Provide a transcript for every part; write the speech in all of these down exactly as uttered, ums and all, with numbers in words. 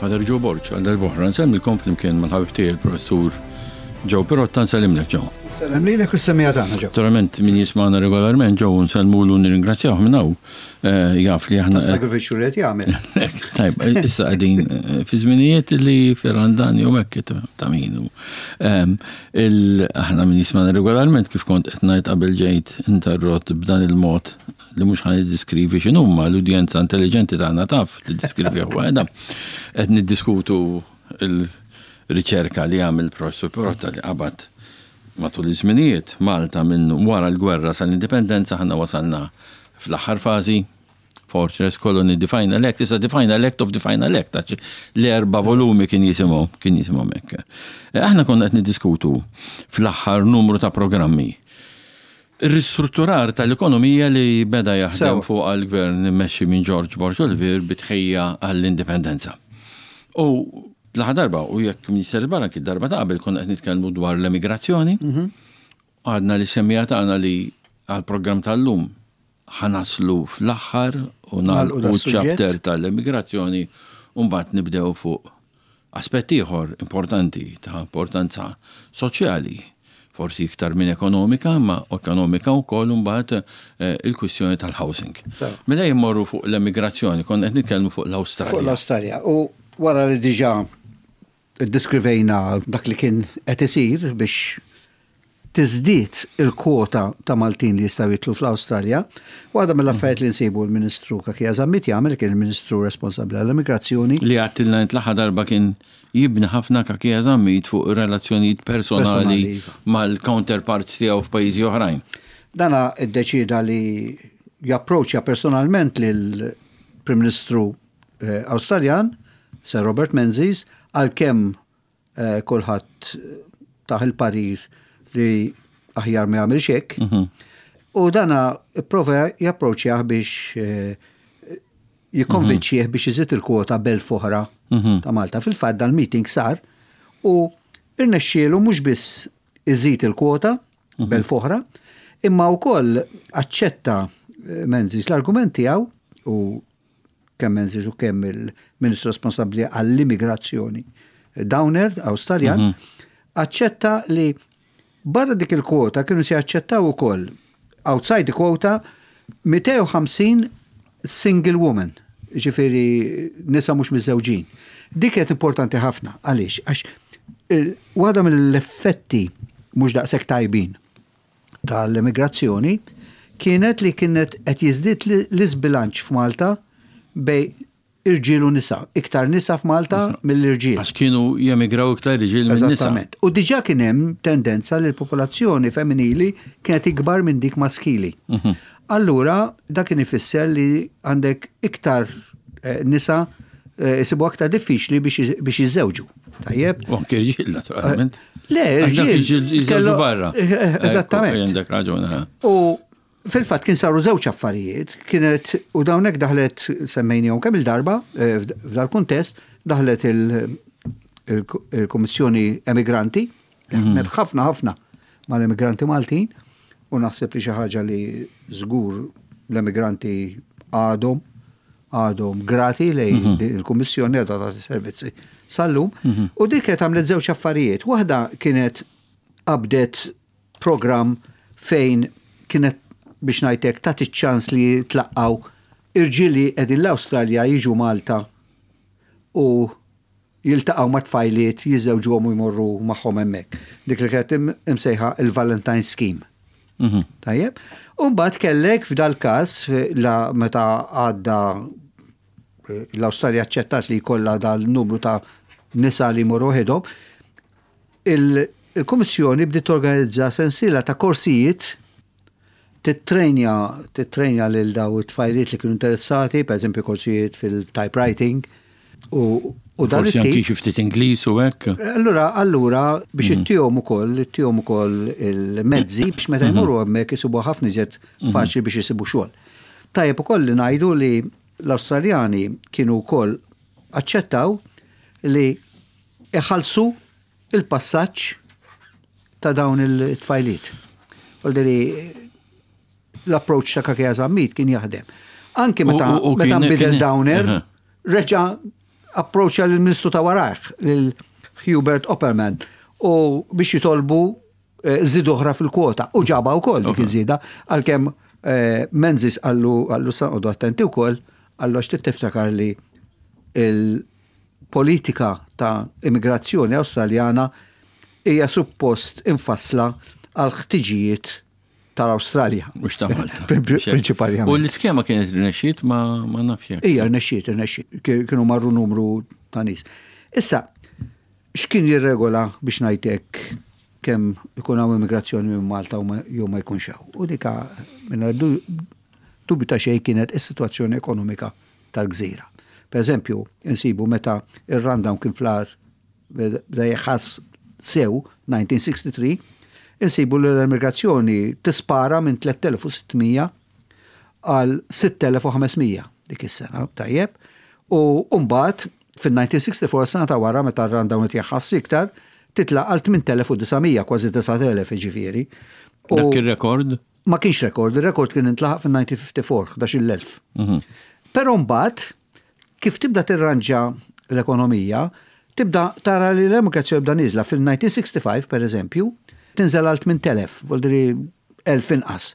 Father Joe Borg, għal darb'oħra nsellmilkom flimkien mal-ħabib tiegħi il-professur Joe Pirotta. Nsellimlek, Joe. Sellem lilek u s-semmiegħa tagħna, Joe. Naturalment min jismagħna regolarment, Joe nsellmulu, nirringrazzjawh minn hawn. Eh, jaf li aħna Sagrifiċċju li qed jagħmel. Tajb, issa qegħdin eh, fi żminijiet li fir-Randan jew hekk ta' minu. Em, il- Aħna min jismagħna regolarment, kif kont qed ngħid qabel ġejt interrott b'dan il-mod li mhux ħa niddiskrivi x'inhuma, l-udjenza intelligenti tagħna taf li diskrivi waħedha. Qed niddiskutu il-riċerka li għamel professur Pirotta li qabad matul iż-żminijiet Malta minn wara l-gwerra sal-indipendenza. Ħanna wasalna fl-aħħar fażi, Fortress, Colony, The Final Act, issa The Final Act of The Final Act, għax l-erba volumi kien jisimhom, kien jisimhom hekk. Eh, Aħna konna qed niddiskutu fl-aħħar numru ta' programmi ir-ristrutturar tal-ekonomija li beda jaħdem Sewa. fuq għal-gvern immexxi minn George Borg Olivier bi tħejjija għall-indipendenza. U l-aħħar darba, u jekk Minister Barra kien darba ta' qabel, konna qed nitkellmu dwar l-emigrazzjoni. Għadna lis-semmiegħa tagħna li għal-programm tal-lum ħa naslu fl-aħħar u Nagħlqu nagħlqu das-suġġett. Chapter tal-emigrazzjoni u mbagħad nibdew fuq aspett ieħor importanti, ta' importanza soċjali, forsi iktar minn ekonomika, ma ekonomika wkoll mbagħad, eh, il-kwistjoni tal-housing. Sewa. Mela jmorru fuq l-emigrazzjoni, konna qed nitkellmu fuq l-Awstralja. Fuq l-Awstralja. U wara li diġà iddiskrivejna dak li kien qed isir biex tiżdied il-kwota ta' Maltin li jistgħu jidħlu fl-Awstralja, waħda mill-affarijiet li nsibu l-Ministru Cachia Zammit jagħmel, kien il-Ministru responsabbli għall-immigrazzjoni. Li għedtilna int l-aħħar darba, kien jibni ħafna Cachia Zammit fuq relazzjonijiet personali Personali, iva. mal-counterparts tiegħu f'pajjiżi oħrajn. Dana iddeċida li japproċċja personalment lil Prim Ministru eh, Awstraljan, Sir Robert Menzies, għalkemm eh, kulħadd tah il-parir li aħjar ma jagħmilx hekk. U dana prova japproċċjah biex eh, jikkonvinċih biex iżid il-kwota b'elf oħra ta' Malta. Fil-fatt dal-meeting sar u irnexxielu mhux biss iżid il-kwota b'elf oħra, imma wkoll aċċetta eh, Menzies l-argument tiegħu, u kemm Menzies u kemm il-Ministru responsabbli għall-immigrazzjoni Downer, Awstraljan, aċċetta li barra dik il-kwota kienu se jaċċettaw ukoll outside the quota mitejn u ħamsin single woman, ġifieri nisa mhux miżżewġin. Dik kienet importanti ħafna, għaliex? Għax il- waħda mill-effetti mhux daqshekk tajbin tal-immigrazzjoni kienet li kienet qed jiżdied li- l-iżbilanċ f'Malta bejn irġiel u nisa. Iktar nisa f'Malta mill-irġiel. Għax kienu jemigraw iktar irġiel minn nisa. Eżattament. U diġà kien hemm tendenza li l-popolazzjoni femminili kienet ikbar minn dik maskili. Allura, dak kien ifisser li għandek iktar eh, nisa eh, jisibu aktar diffiċli biex biex jiżżewġu. Tajjeb? U anke irġiel, naturalment. Le, Għax dak irġiel. irġiel jiżżewġu kellu- barra. Eh, eh, Eżattament. Ekku, għandek raġun. eh. U fil-fatt kien saru żewġ affarijiet, kienet u dawnek daħlet, semmejnihom kemm il-darba eh, f'dal kuntest, daħlet il- il- il-Kummissjoni Emigranti, li ħadmet ħafna ħafna mal-emigranti Maltin, u naħseb li xi ħaġa li żgur l-emigranti għadhom għadhom grati lejn din il-Kummissjoni għadha tagħti servizzi sal-lum. U dik kienet għamlet żewġ affarijiet. Waħda kienet qabdet program fejn kienet, biex ngħidlek, tagħti ċans li tlaqqaw irġieli qegħdin l-Awstralja jiġu Malta u jiltaqgħu ma' tfajliet, jiżżewġuhom u jmorru magħhom hemmhekk. Dik li kienet im- imsejħa il-Valentine Scheme. Tajjeb. U mbagħad kellek f'dal każ la meta għadda eh, l-Awstralja aċċettat li jkollha dal-numru ta' nisa li jmorru waħedhom, il- il-Kummissjoni bdiet torganizza sensiela ta' korsijiet, tittrejnja tittrejnja lil daw it-tfajliet li kienu interessati, per eżempju korsijiet fil-typewriting u, u dan Forsi anki it-tip. xi ftit Ingliż u hekk. Allura, allura biex ittihom ukoll, ittihom ukoll il-mezzi biex meta jmorru hemmhekk isibu ħafna iżjed faċli biex isibu xogħol. Tajjeb ukoll li ngħidu li l-Awstraljani kienu wkoll aċċettaw li iħallsu il-passaġġ ta' dawn il-tfajliet. Għalderi l-approach ta' Cachia Zammit kien jaħdem. Anki meta U- u- u meta kien- nbidel kien- Downer, Aha. reġa Approċċja lill-Ministru ta' warajh, lil Hubert Opperman, u biex jitolbu eh, żieda oħra fil-kwota. U ġabha wkoll dik iż-żieda, għalkemm eh, Menzies qallu qallu sa noqogħdu attenti wkoll, qallu għax tiftakar li il-politika ta' immigrazzjoni Awstraljana hija suppost infassla għal ħtiġijiet tal-Awstralja. Mhux ta' Malta. Prinċipalment. U l-iskema kienet rnexxiet, ma ma nafx jekk. Ija, rnexxiet, rnexxiet. Kienu marru numru ta' nies. Issa, x'kien jirregola, biex ngħidlek, kemm ikun hawn immigrazzjoni minn Malta u ma- jew ma jkunx hawn? U dika minn dubju ta' xejn kienet is-sitwazzjoni ekonomika tal-gżira. Per eżempju, insibu meta ir-rundown kien fl-agħar, beda jħass sew elf disa' mija u sitta u sittin, insibu li l-immigrazzjoni tispara minn tliet elef u sitt mija għal sitt elef u ħames mija dik is-sena, tajjeb. U mbagħad fil-elf disa' mija u sitta u sittin, sena ta' wara, meta r-rundown qed jaħass iktar, titla' għal tmien elef u disa' mija, kważi disa' elef ġifieri. U Dak il-rekord? Ma kienx rekord, il-rekord kien intlaħaq fil-elf disa' mija u ħamsa u erbgħin, ħdax-il elf. Però mbagħad kif tibda tirranġa l-ekonomija, tibda tara li l-immigrazzjoni bda niżla. Fil-elf disa' mija u sitta u sittin, per eżempju, tinżel għal tmint elef, vuldiri elf inqas.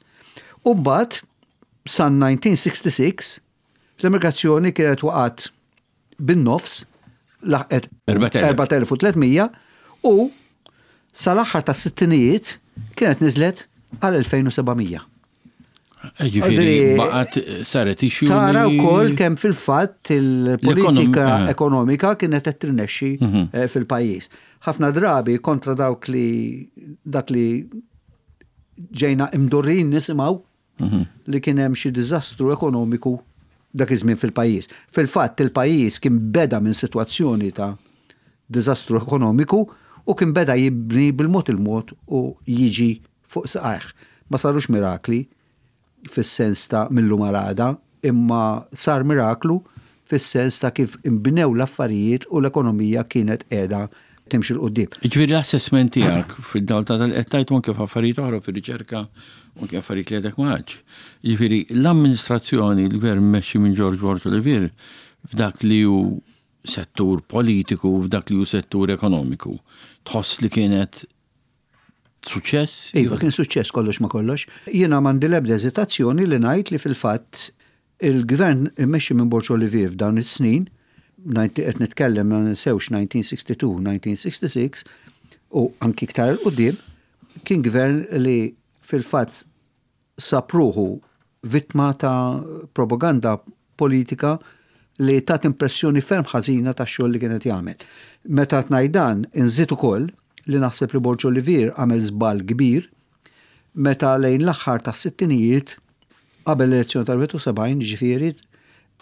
U mbagħad san elf disa' mija u sitta u sittin l-immigrazzjoni kienet waqgħet bin-nofs, laħqet erbat elef. erbat elef u tliet mija, u sal-aħħar ta' sittinijiet kienet niżlet għal elfejn u seba' mija. Ġifieri baqgħet saret issue. Tara li- wkoll kemm fil-fatt il-politika L-ekonom- eh. ekonomika kienet qed tirnexxi eh, fil-pajjiż. Ħafna drabi kontra dawk li dak li ġejna imdorrin nisimgħu li kien hemm xi diżastru ekonomiku dak iż-żmien fil-pajjiż. Fil-fatt il-pajjiż kien beda minn sitwazzjoni ta' diżastru ekonomiku u kien beda jibni bil-mod il-mod u jiġi fuq saqajh. Ma sarux mirakli fis-sens ta' mil-lum għal għada, imma sar miraklu fis-sens ta' kif imbnew l-affarijiet u l-ekonomija kienet qiegħda timxi 'l quddiem. Ġifieri l-assessment tiegħek fid-dawl ta' dal-qed anke f'affarijiet oħra fir-riċerka u anke affarijiet li għadek ma għadx. Ġifieri l-amministrazzjoni, l-gvern mmexxi minn George Borg Olivier f'dak li hu settur politiku, f'dak li hu settur ekonomiku, tħoss li kienet suċċess? Iva, kien suċċess kollox ma kollox. Jiena m'għandi l-ebda eżitazzjoni li ngħid li fil-fatt il-gvern immexxi minn Borg Olivier f'dawn is-snin, qed nitkellem, ma ninsewx, elf disa' mija u sitta u sittin, elf disa' mija u sitta u sittin u anki iktar 'il quddiem, kien gvern li fil-fatt sab ruħu vittma ta' propaganda politika li tat impressjoni ferm ħażina ta' xogħol li kienet jagħmel. Meta ngħid dan, inżid ukoll li naħseb li Borg Olivier għamel żball kbir meta lejn l-aħħar ta' sittinijiet, qabel l-elezzjoni tal-sebgħa u sebgħin, ġifieri,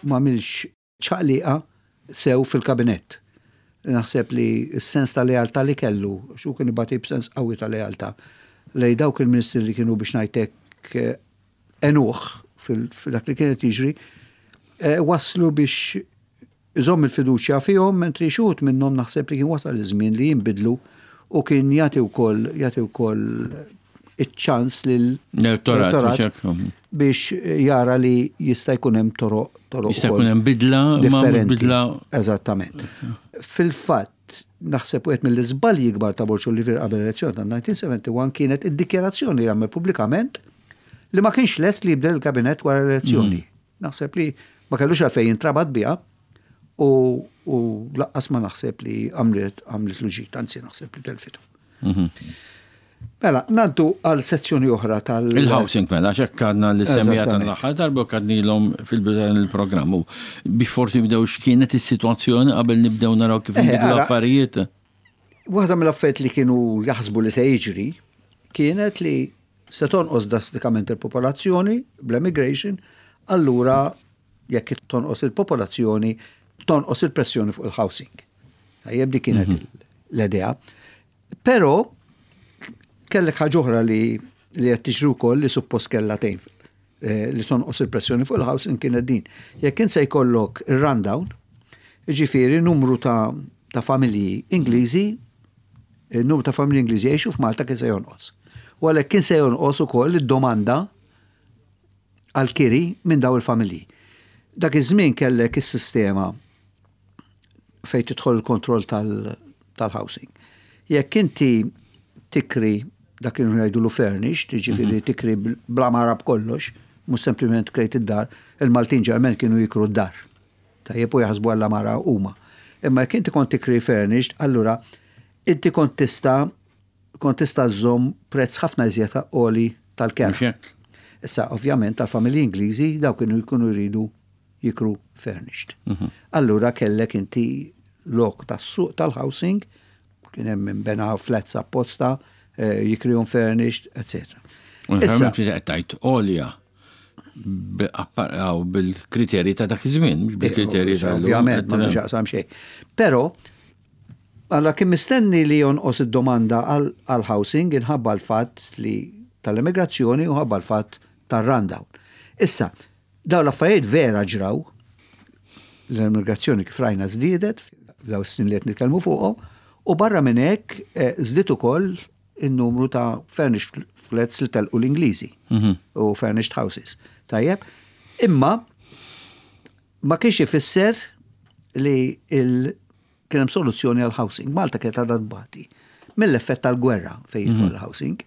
m'għamilx ċaqliqa sew fil-kabinett. Naħseb li s-sens ta' lealtà li kellu, xu kien ibati b'sens qawwi ta' lealtà lej dawk il-ministri li kienu, biex ngħidlek, għenuh fil-dak li kienet jiġri, eh, waslu biex iżomm il-fiduċja fihom, mentri xi wħud minnhom naħseb li kien wasal iż-żmien li jinbidlu u kien jagħti wkoll jagħti wkoll iċ-ċans lil L-elettorat, biex hekk. biex jara li jista' jkun hemm toroq toroq Jista' ukoll jkun hemm bidla, ma differenti. bidla. Eżattament. Fil-fatt, naħseb wieħed mill-iżbalji kbar ta' Borg Olivier qabel l-elezzjoni ta' elf disa' mija u wieħed u sebgħin kienet id-dikjarazzjoni li għamel pubblikament li ma kienx lest li jibdel il-kabinett wara l-elezzjoni. Naħseb li ma kellux għalfejn jintrabat biha u, u lanqas ma naħseb li għamlet għamlet ġid, anzi naħseb li telfitu. Mela, ngħaddu għal sezzjoni oħra tal- Il-housing mela, xek għadna li semmija Eżattament. tal-aħħar darba u kadnilhom fil-bidu il-programm. U biex forsi nibdew x'kienet is-sitwazzjoni qabel nibdew naraw kif Eh, nbidlu ara- l-affarijiet. Waħda mill-affarijiet li kienu jaħsbu li se jiġri kienet li se tonqos drastikament il-popolazzjoni bl-emigration, allura jekk tonqos il-popolazzjoni, tonqos il-pressjoni fuq il-housing. Tajjeb, di kienet l-idea. Però kellek ħaġa oħra li li qed tiġri wkoll li suppost kellha tgħin eh, li tonqos il-pressjoni fuq il-housing kienet din. Jekk int se jkollok ir-rundown, jiġifieri numru ta' ta' familji Ingliżi, il-numru ta' familji Ingliżi jgħixu f'Malta kien se jonqos. U għalhekk kien se jonqos ukoll id-domanda għal-kiri minn daw il-familji. Dak iż-żmien kellek is-sistema Fejn tidħol il-kontroll tal-housing. Jekk inti tikri dak kienu jgħidulu furnished, jiġifieri tikri bl-għamara b'kollox, mhux sempliment krejt id-dar, il-Maltin ġeneralment kienu jikru d-dar. Tajjeb, u jaħsbu għall-għamara huma. Imma jekk inti kont tikri furnished, allura inti kont tista' kont tista' żżomm prezz ħafna iżjed għoli tal-kera. Issa, ovvjament, tal-familji Ingliżi daw kienu jkunu jridu jikru furnished. Mhm. Allura kellek inti lok tas-suq tal-housing, kien hemm min bena flats apposta, eh, jikrihom furnished, et cetera. Issa, tajt għolja bil-kriterji ta' dak iż-żmien, mhux bil-kriterji ta' Ovvjament, ma jaqsam xejn. Però għalla kien mistenni li jonqos id-domanda għal-housing inħabba l-fatt li tal-immigrazzjoni u ħabba l-fatt tal-rundown. Issa, daw l-affarijiet vera ġraw, l-immigrazzjoni kif rajna żdiedet f'daw snin li qed nitkellmu fuqhom, u barra minn hekk eh, żdied ukoll il-numru ta' furnished flats li telqu l-Ingliżi mhm. u furnished houses. Tajjeb, imma ma kienx ifisser li il kien hemm soluzzjoni għal housing. Malta kienet għadha tbati mill-effett tal-gwerra fejn jidħol mhm. housing.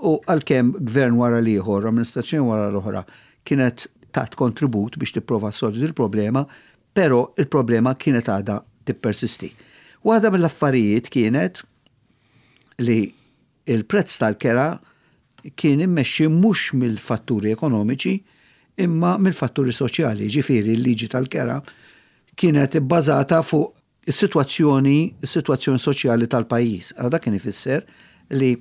U għalkemm gvern wara l-ieħor, amministrazzjoni wara l-oħra, kienet tat kontribut biex tipprova solvi il-problema, però il-problema kienet għadha tippersisti. Waħda mill-affarijiet kienet li il-prezz tal-kera kien immexxi mhux mill-fatturi ekonomiċi imma mill-fatturi soċjali, ġifieri l-liġi tal-kera kienet bbażata fuq is-sitwazzjoni is-sitwazzjoni soċjali tal-pajjiż. Għal dak kien ifisser li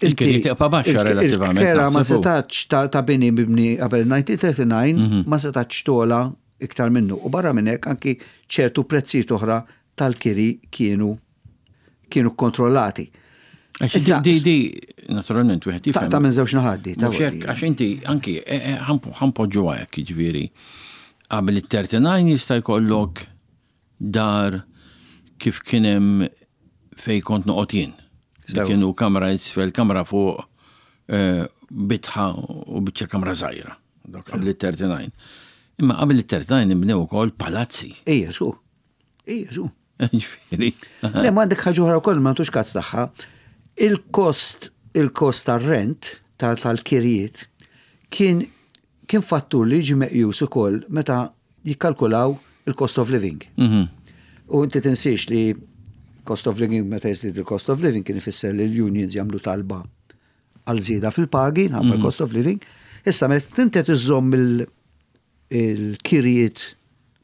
Il-kiri tibqa' baxxa relattivament. Il-kera ma setax ta' bini mibni qabel elf disa' mija u tlieta u tletin mhm. ma setax togħla iktar minnu. U barra minn hekk anki ċertu prezzijiet oħra tal-kiri kienu kienu kontrollati. Għax di, di, naturalment, wieħed jifhem. Ta' minn żewġ naħat di. Mhux hekk, għax inti anki eh, eh, ħa npoġġu hekk, jiġifieri. Qabel it-tletin jista' jkollok dar kif kien hemm fej kont noqgħod jien. Li Sewa. kienu kamra isfel, kamra fuq, eh, bitħa u biċċa kamra żgħira. Dak qabel it-tletin. Imma qabel it-tletin inbnew ukoll palazzi. Ija, su. Ija, su. Ġifieri. Le, ma għandek ħaġa oħra wkoll ma tux każ tagħha. Il-kost, il-kost tar-rent tal-kirjiet kien kien fattur li jiġi meqjus ukoll meta jikkalkulaw il-cost of living. Mhm. U inti tinsiex li cost of living, meta jiżdied il-cost of living kien ifisser li l-unions jagħmlu talba għal żieda fil-pagi, nħabba l-cost of living. Issa meta inti iżżomm il- il-kirjiet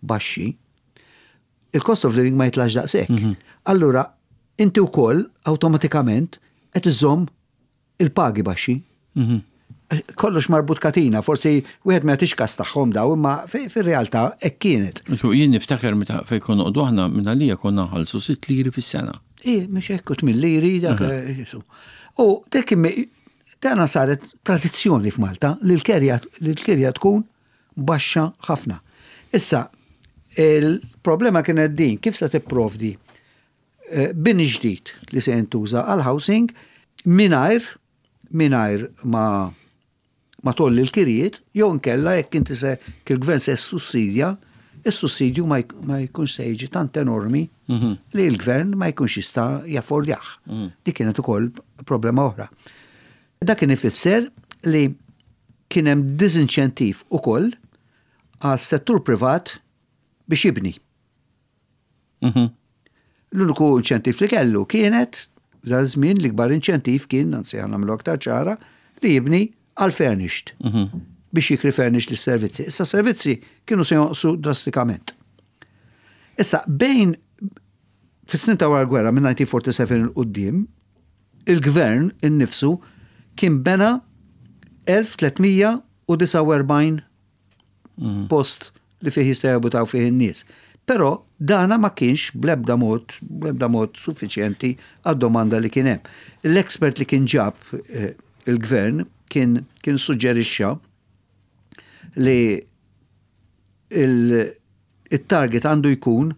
baxxi, il-cost of living ma jitlax daqshekk. Allura, inti wkoll awtomatikament qed iżżomm il-pagi baxxi. Mhm. Kollox marbut katina, forsi wieħed ma jagħtix kas tagħhom daw, imma fi- fir-realtà hekk kienet. Su, jien niftakar meta fej konna noqogħdu aħna minn għalija konna nħallsu sitt liri fis-sena. Ije, mhux hekk, tmien liri dak. eh, Ġesu. U dik dana saret tradizzjoni f'Malta li l-kerja li l-kirja tkun baxxa ħafna. Issa, il-problema kienet din, kif se tipprovdi eh, bini ġdid li se jintuża għal housing mingħajr mingħajr ma ma tgħolli l-kirjiet, jew nkella jekk inti se il-gvern se sussidja, is-sussidju ma jk- ma jkunx se jiġi tant enormi li l-gvern ma jkunx jista' jaffordjah. Dik kienet ukoll problema oħra. Dak kien ifisser li kien hemm disinċentiv ukoll għas-settur privat biex jibni. Mhm. L-uniku inċentiv li kellu kienet, f'dan żmien l-ikbar inċentiv kien, anzi ħa nagħmlu aktar ċara, li jibni għal furnished biex jikri furnished lis-servizzi. Issa servizzi kienu se jonqsu drastikament. Issa bejn fis-snin ta' wara l-gwerra minn elf disa' mija u erbgħa u erbgħin 'il quddiem, il-gvern innifsu kien bena elf tliet mija u disgħa u erbgħin post li fih jista' jabitaw fih in-nies. Però dana ma kienx bl-ebda mod, bl-ebda mod suffiċjenti għad-domanda li kien hemm. L-expert li kien ġab eh, il-gvern kien, kien suġġerixxa li il- il-target għandu jkun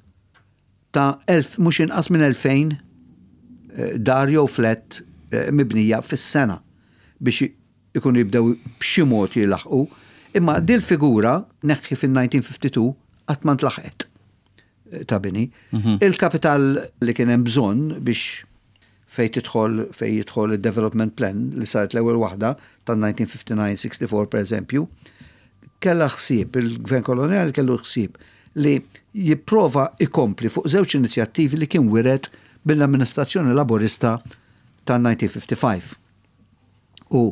ta' elf, mhux inqas minn elfejn eh, dar jew flat eh, mibnija fis-sena biex ikunu jibdew b'xi mod jilaħqu. Imma dil figura neħħi fil-elf disa' mija u tlettax qatt ma ntlaħqet. ta' bini. Il-kapital li kien hemm bżonn biex fej tidħol fej jidħol il-development plan li saret l-ewwel waħda tan-elf disa' mija u ħamsa u disgħin sittaw disgħin, per eżempju, kella ħsieb, il-gvern koloniali kellu ħsieb li jipprova ikompli fuq żewġ inizjattivi li kien wiret mill-amministrazzjoni laborista tan-elf disa' mija u ħamsa u ħamsin u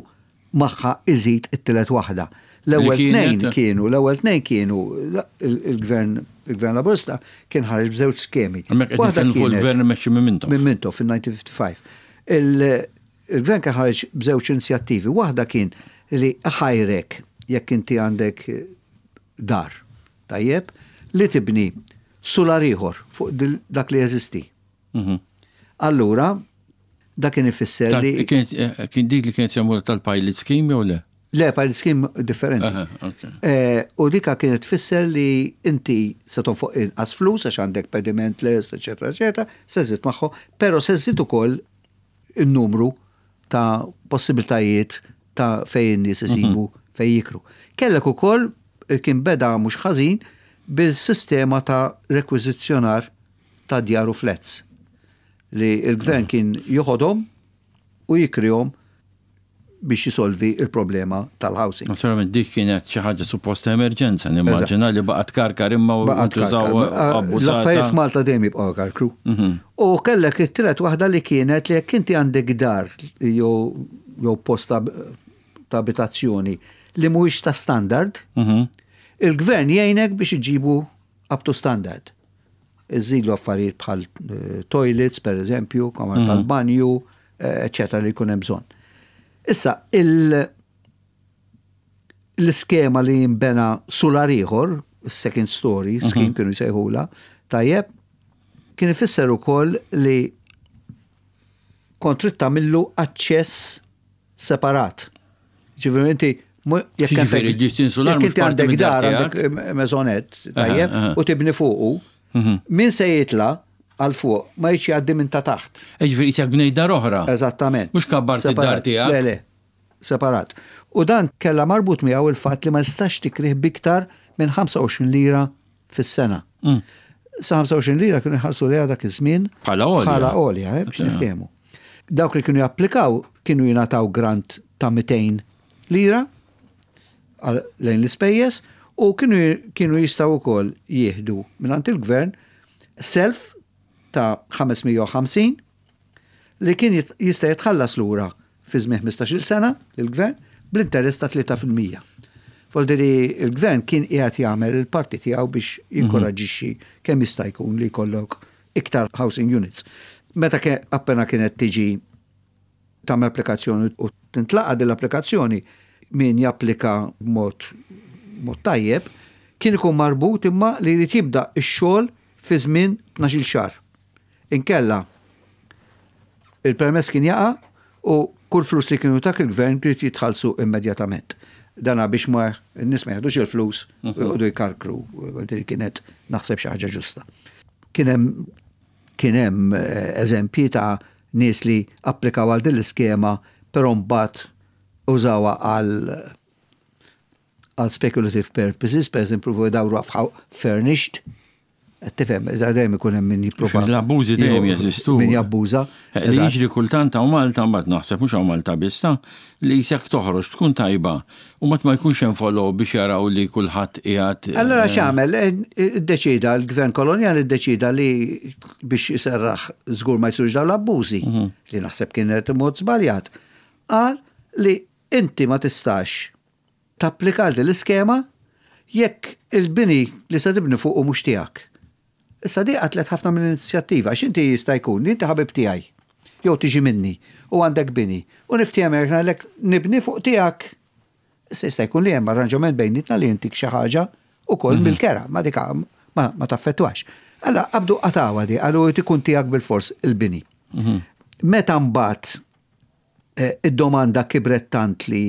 magħha iżid it-tielet waħda. L-ewwel Li kienet? tnejn kienu, l-ewwel tnejn kienu il-gvern il-gvern laborista kien ħareġ b'żewġ skemi. Hemmhekk qed Waħda nitkellmu fuq kienet- il-gvern imexxi minn Mintoff. Minn Mintoff fil-elf disa' mija u ħamsa u ħamsin. Il- Il-gvern kien ħareġ b'żewġ inizjattivi. Waħda kien li ħajrek jekk inti għandek dar, tajjeb, li tibni sular ieħor fuq dil- dak li jeżisti. Mhm. Allura, dak kien ifisser Tal- li Kien eh, kien dik li kienet jagħmlu tal-pilot scheme jew le? Le, pilot scheme differenti. Aha, ok. Eh, U dika kienet tfisser li inti se tonfoq inqas flus għax għandek pediment lest, eċetera, eċetera, se żżid magħhom, però se żżid ukoll il-numru ta' possibiltajiet ta' fejn in-nies isibu fejn jikru. Kellek ukoll eh, kien beda mhux ħażin bil-sistema ta' rekwiżizzjonar ta' djar u flats li il-gvern kien joħodhom u jikrihom biex jisolvi il-problema tal-housing. Naturalment dik kienet xi ħaġa supposta emerġenza, nimmaġina li baqgħet karkar imma u Baqgħet ntużaw karkar. abbużata. L-affarijiet f'Malta dejjem jibqgħu karkru. U kellek it-tielet waħda li kienet li jekk inti għandek dar jew jew post ta' ta' abitazzjoni li mhuwiex ta' standard, Mhm. il-gvern jgħinek biex iġibu up to standard. Iżilu affarijiet bħal eh, toilets, per eżempju, kamar tal-banju, eh, eccetera, li jkun hemm bżonn. Issa, il- l-iskema li jimbena sular ieħor, second story, scheme kienu jsejħula, tajjeb, kien ifisser ukoll li kont trid tagħmillu aċċess separat. Ġifieri inti mu- jekk Ġifieri, għandek ġiet insular jekk mhux inti parti għandek mid-dar dar, għandek eh, maisonette, tajjeb, aha. u tibni fuqu, min se jitla għal fuq ma jiġi jgħaddi minn ta' taħt. Eh, Ġifieri isek bnej dar oħra. Eżattament. Mhux kabbart id-dar Separat. tiegħek. Le, le, separat. U dan kella marbut miegħu il-fatt li ma nistax tikrih biktar minn ħamsa u għoxrin lira fis-sena. Mm. Sa ħamsa u għoxrin lira kienu jħallsu lejha dak iż-żmien Bħala għolja. Bħala għolja, eh, biex niftehmu. Dawk li kienu japplikaw kienu jingħataw grant ta' mitejn lira għal- lejn l-ispejjeż u kienu kienu jistgħu wkoll jieħdu mingħand il-gvern self ta' ħames mija u ħamsin li kien jit- jista' jitħallas lura fi żmien ħmistax-il sena lill-gvern bl-interess ta' tlieta fil-mija. Voldiri il-gvern kien qiegħed jagħmel il-parti tiegħu biex jinkoraġixxi kemm jista' jkun li jkollok iktar housing units. Meta ke appena kienet tiġi tagħmel applikazzjoni u tintlaqa din l-applikazzjoni, min japplika b'mod mod tajjeb kien ikun marbut imma li jrid jibda x-xogħol fi żmien tnax-il xahar. Inkella il-permess kien jaqa' u kull flus li kienu tak il-gvern kien jitħallsu immedjatament. Dana biex ma n-nies ma jaħdux il-flus u jqogħdu jkarkru, li kienet naħseb xi ħaġa ġusta. Kien hemm kien hemm eh, eżempji ta' nies li applikaw għal din l-iskema però mbagħad użawha għal għal speculative purposes, per eżempju, dawru furnished. Tifhem, dejjem ikun hemm min jipprova. L-abbużi dejjem jeżistu. Min jabbuża. Eh, Li jiġri kultant hawn Malta, mbagħad naħseb mhux hawn Malta biss ta' li jisek toħroġ tkun tajba u mat ma jkunx hemm follow biex jaraw li kulħadd qiegħed. Allora x'għamel? Iddeċida l-gvern kolonjali, iddeċida li biex jiserraħ żgur ma jsirux dawn l-abbużi, li naħseb kienet mod żbaljat. Qal li inti ma tistax tapplika din l-iskema jekk il-bini li se tibni fuq mhux tiegħek. Issa di qatlet ħafna mill-inizjattiva, għax inti jista' jkun li inti ħabib tiegħi, jew tiġi minni u għandek bini u niftiehem ngħidlek nibni fuq tiegħek. Issa jista' jkun li hemm arranġament bejnietna li intik xi ħaġa ukoll mill-kera, ma dik ma, ma taffettwax. Alla qabdu qatgħuha di, qalu ikun tiegħek bil-fors il-bini. Meta mbagħad eh, id-domanda kibret tant li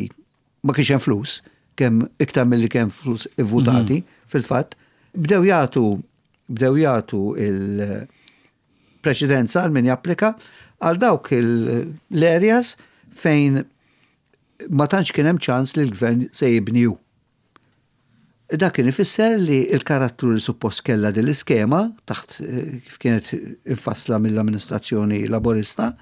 ma kienx hemm flus, kemm iktar milli kemm flus ivvutati fil-fatt, bdew jagħtu bdew jagħtu il-preċedenza għal min japplika għal dawk l-areas fejn ma tantx kien hemm ċans li l-gvern se jibniju. Dak kien ifisser li il-karattru li suppost kella din l-iskema taħt eh, kif kienet infassla mill-amministrazzjoni Laborista,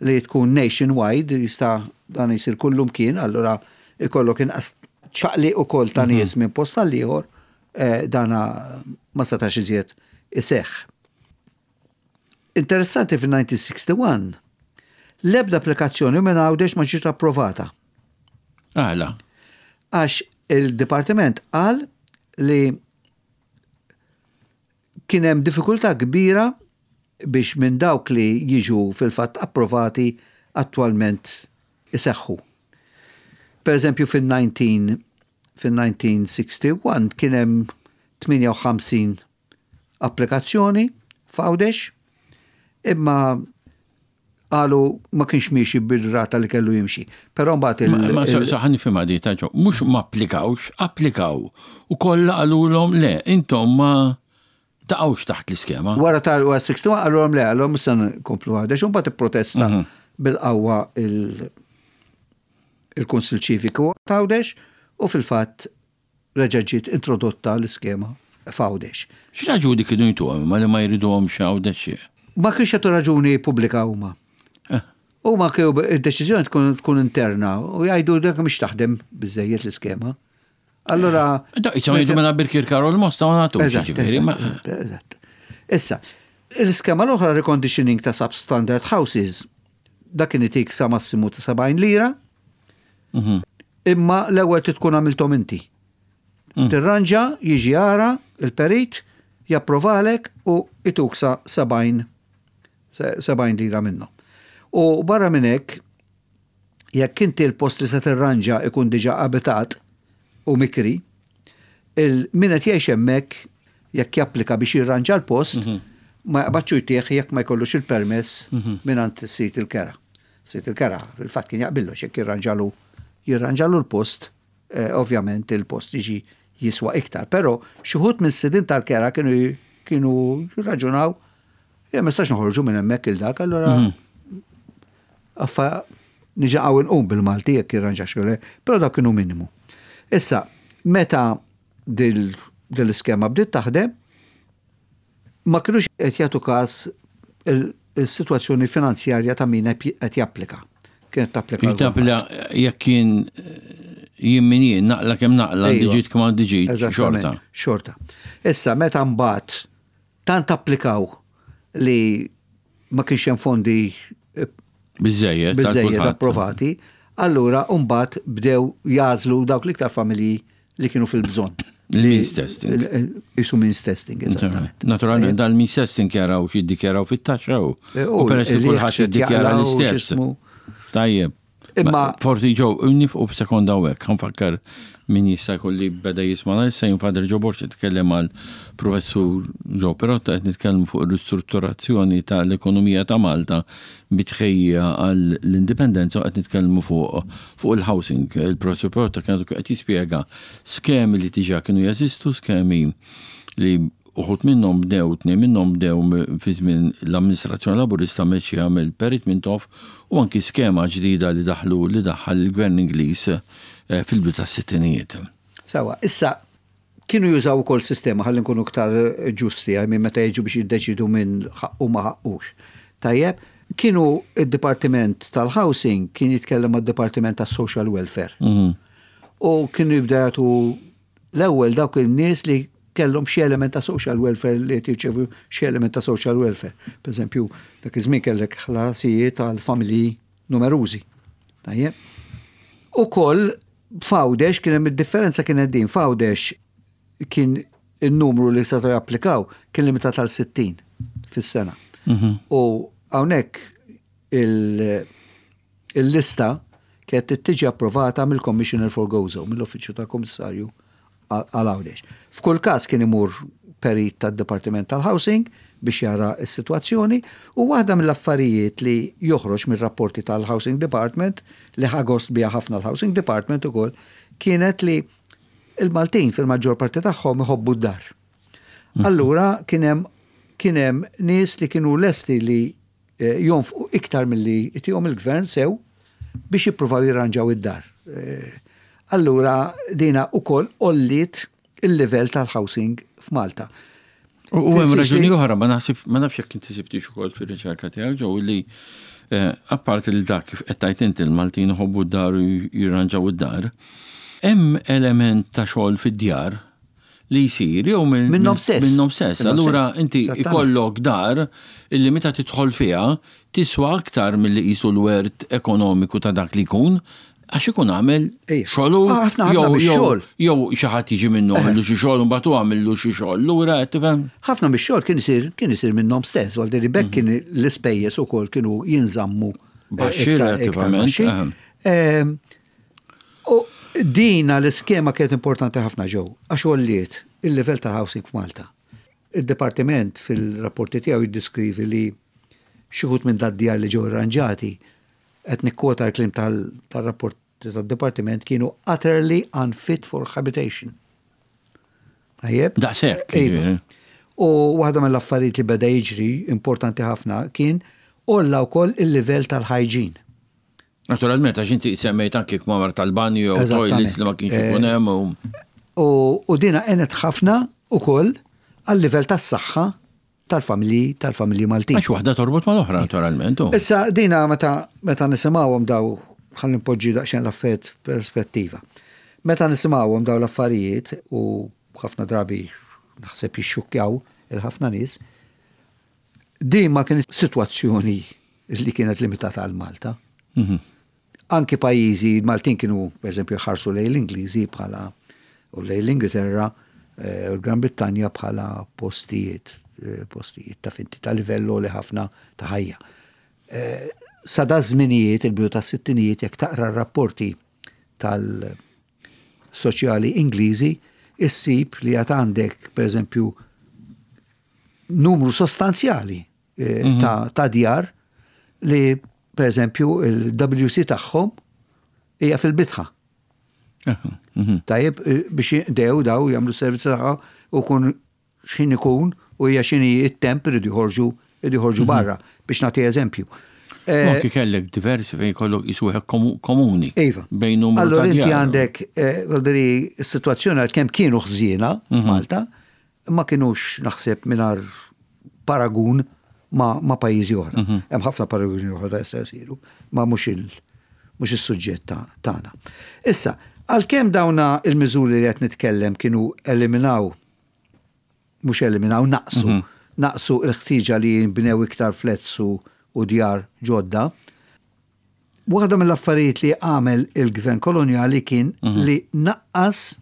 li tkun nationwide, jista' dan jisir kullum kien, allura ikollok inqas ċaqli u kol ta' nies minn post għal ieħor, eh, dana ma setax iżjed iseħħ. Interessanti, fil-elf disa' mija u wieħed u sittin l-ebda applikazzjoni minn Għawdex ma ġiet approvata. Għala? Għax il-dipartiment qal li kien hemm diffikultà kbira biex minn dawk li jiġu fil-fatt approvati attwalment iseħħu. Per eżempju, fil-nineteen fil-elf disa' mija u wieħed u sittin kien hemm tmienja u ħamsin applikazzjoni f'Għawdex, imma qalu ma kienx miexi bil-rata li kellu jimxi. Però mbagħad il- Ma ma il- sa ħa nifhimha di ta' ġo, mhux ma applikawx, applikaw. U kollha qalulhom le, intom ma taqgħux taħt l-iskema. Wara ta' wara wieħed u sittin qalulhom le, qalulhom issa nkomplu Għawdex, u mbagħad ipprotesta bil-qawwa il- il-Kunsil Ċiviku ta' Għawdex u fil-fatt reġa' ġiet introdotta l-iskema f'Għawdex. X'raġuni kienu jtuhom ma li ma jriduhomx Għawdex? Ma kienx jagħtu raġuni pubblika huma. Eh. Huma kienu id-deċiżjoni tkun tkun interna u jgħidu dak mhix taħdem biżejjed l-iskema. Allora Da, jisimgħu jgħidu mela Birkirkara u l-Mosta ma nagħtux, Eżatt, jiġifieri, ma- eżatt, eżatt. Issa, l-iskema l-oħra, reconditioning ta' substandard houses, dak kien itik sa massimu ta' sebgħin lira, Mhm. imma l-ewwel trid tkun għamiltom inti. Tirranġa, jiġi jara, il-perit, japprovalek u ituk sa sebgħin se- sebgħin lira minnhom. U barra minn hekk, jekk inti l-post li se tirranġa ikun diġà abitat u mikri, il min qed jgħix hemmhekk, jekk japplika biex jirranġa l-post, ma jaqbadx jtih jekk ma jkollux il-permess mingħand sid il-kera. Sid il-kera, fil-fatt, kien jaqbillu jekk jirranġalu jirranġalu l-post, eh, ovvjament il-post jiġi jiswa iktar. Però xi wħud minn sidin tal-kera kienu kienu jirraġunaw, ja ma nistax noħorġu minn hemmhekk il-dak, allura affa niġa għaw nqum bil-Malti jekk jirranġa xogħol, però dak kienu minimu. Issa, meta dil dil-iskema bdiet taħdem, ma kienux qed jagħtu każ il- il-sitwazzjoni finanzjarja ta' min qed japplika. Kienet tapplika għal Jittapla jekk kien jien min jien, naqla kemm naqla, Ejwa. diġit kemm għandi ġid, Eżattament, xorta. Xorta. Issa, meta mbagħad tant applikaw li ma kienx hemm fondi eh, Biżejjed. biżejjed approvati, allura mbagħad bdew jagħżlu dawk l-iktar familji li kienu fil-bżonn. Il-means testing. Isu means testing, eżattament. Naturalment, dal-means testing jaraw x'iddikjaraw fit-taxxa u. Eh, U peress li li kulħadd xed jiddikjara jaqlaw, l-istess. x'ismu. Tajjeb. Imma- Ma forsi ġew, nieqfu b'sekonda hawnhekk, ħa nfakkar min jista' jkun li beda jisma' issa, jien Father Joe Borg, nitkellem mal professur Joe Perotta, qed nitkellmu fuq ir-ristrutturazzjoni tal-ekonomija ta' Malta bi tħejjija għall-indipendenza u qed nitkellmu fuq fuq il-housing. Il-professur Perotta kien qed jispjega skemi li diġà kienu jeżistu, skemi li uħud minnhom bdew, tnejn minnhom bdew m- fi żmien l-amministrazzjoni Laburista mexxija mill-Perit Mintoff u anki skema ġdida li daħlu li daħħal il-Gvern Ingliż eh, fil-bidu tas-sittinijiet. Sawa, issa kienu jużaw ukoll sistema, ħalli nkunu iktar ġusti, għaj minn meta jiġu biex jiddeċidu minn ħaqqu ma ħaqqux. Tajjeb, kienu id-Dipartiment tal-Housing kien jitkellem mad-Dipartiment tas-Social Welfare. U kienu jibda jagħtu l-ewwel dawk in-nies li kellhom xi element ta' social welfare, li jirċevu xi element ta' social welfare. Per eżempju, dak iż-żmien kellek ħlasijiet għal familji numerużi. Tajjeb. Ukoll f'Għawdex kien hemm id-differenza, kienet din: f'Għawdex kien il-numru li setgħu japplikaw kien limitat għal sittin fis-sena. U hawnhekk il- il-lista kienet tiġi approvata mill-Commissioner for Gozo, mill-Uffiċċju tal-Kommissarju għal Għawdex. F'kull każ kien imur perit tad-Dipartiment tal-Housing biex jara s-sitwazzjoni u waħda mill-affarijiet li joħroġ mir-rapporti tal-Housing Department, li ħa gost biha ħafna l-Housing Department ukoll, kienet li il-Maltin fil-maġġor parti tagħhom iħobbu d-dar. Allura kien hemm kien hemm nies li kienu lesti li eh, jonfqu iktar milli itihom il-gvern sew biex jippruvaw jirranġaw id-dar. Eh, Allura dina ukoll għolliet il-livell tal-housing f'Malta. U hemm raġuni oħra, ma naħsib ma nafx jekk inti sibtix ukoll fir-riċerka tiegħek ġew li eh, apparti li dak kif qed tgħid inti l-Maltin iħobbu d-dar u jirranġaw id-dar, hemm element ta' xogħol fid-djar li jsir jew minnhom stess. Minnhom stess. Allura inti ikollok dar illi meta tidħol fiha tiswa aktar milli qisu l-wert ekonomiku ta' dak li jkun għax ikun għamel xogħlu jew jew xi ħadd jiġi minnu għamillu xi xogħol u mbagħad għamillu xi xogħol. Lura qed tifhem? Ħafna mix-xogħol kien isir kien isir minnhom stess, għal deri bekk kien l-ispejjeż ukoll kienu jinżammu baxxi relattivament. Ehm, u dina l-iskema kienet importanti ħafna ġew, għax għolliet il-level tal-housing f'Malta. Il-Departiment fil-rapporti tiegħu jiddiskrivi li xi wħud minn dad-djar li ġew irranġati qed nikkwota l-kliem tal-rapport tad-Departiment kienu utterly unfit for habitation. Tajjeb? Daqshekk. Iva. U waħda mill-affarijiet li beda jiġri importanti ħafna kien għolla wkoll il-livell tal-hygiene. Naturalment, għax inti semmejt anki kmamar tal-banju u toilets li ma kienx ikun hemm. U dina għenet ħafna ukoll għal-livell tas-saħħa tal-familji tal-familji Maltin. Għax waħda torbot mal-oħra, naturalment. Issa dina meta meta nisimgħuhom daw ħalli npoġġi daqsxejn l-affarijiet perspettiva. Meta nisimgħuhom daw l-affarijiet u ħafna drabi naħseb jixxukkjaw il-ħafna nies, din ma kienet sitwazzjoni li kienet limitata għal Malta. Mhm. Anki pajjiżi, Maltin kienu, per eżempju, ħarsu lejn l-Ingliżi bħala u lejn l-Ingilterra eh, u l-Gran Brittanja bħala postijiet, eh, postijiet ta' finti ta' livello li ħafna ta' ħajja. Eh, sa da żminijiet, il-bidu ta' sittinijiet, jekk taqra r-rapporti tal-soċjali Ingliżi, issib li għad għandek, per eżempju, numru sostanzjali eh, ta', ta' djar li, per eżempju, il-WC tagħhom hija fil-bitħa. Mhm. Tajjeb, eh, biex jinqdew daw jagħmlu servizz tagħha u kun x'ħin ikun u hija x'inhi it-temp iridu joħorġu iridu joħorġu barra biex nagħti eżempju. Eh, Anki kellek diversi fejn kollok jisuħ komuni. Iva. Bejn numru Allora ta' inti djar. għandek, eh, vuol is-sitwazzjoni għal kemm kienu ħżiena f'Malta, ma kienux naħseb mingħajr paragun ma, ma pajjiżi oħra. Hemm ħafna paraguni oħra ta' jistgħu jsiru, ma mhux il mhux is-suġġett ta' tagħna. Issa, għalkemm dawna il-miżuri li qed nitkellem kienu eliminaw mhux eliminaw, naqsu, naqsu il-ħtieġa li jinbnew iktar flats u, u djar ġodda. Waħda mill-affarijiet li għamel il-gvern koloniali kien li naqqas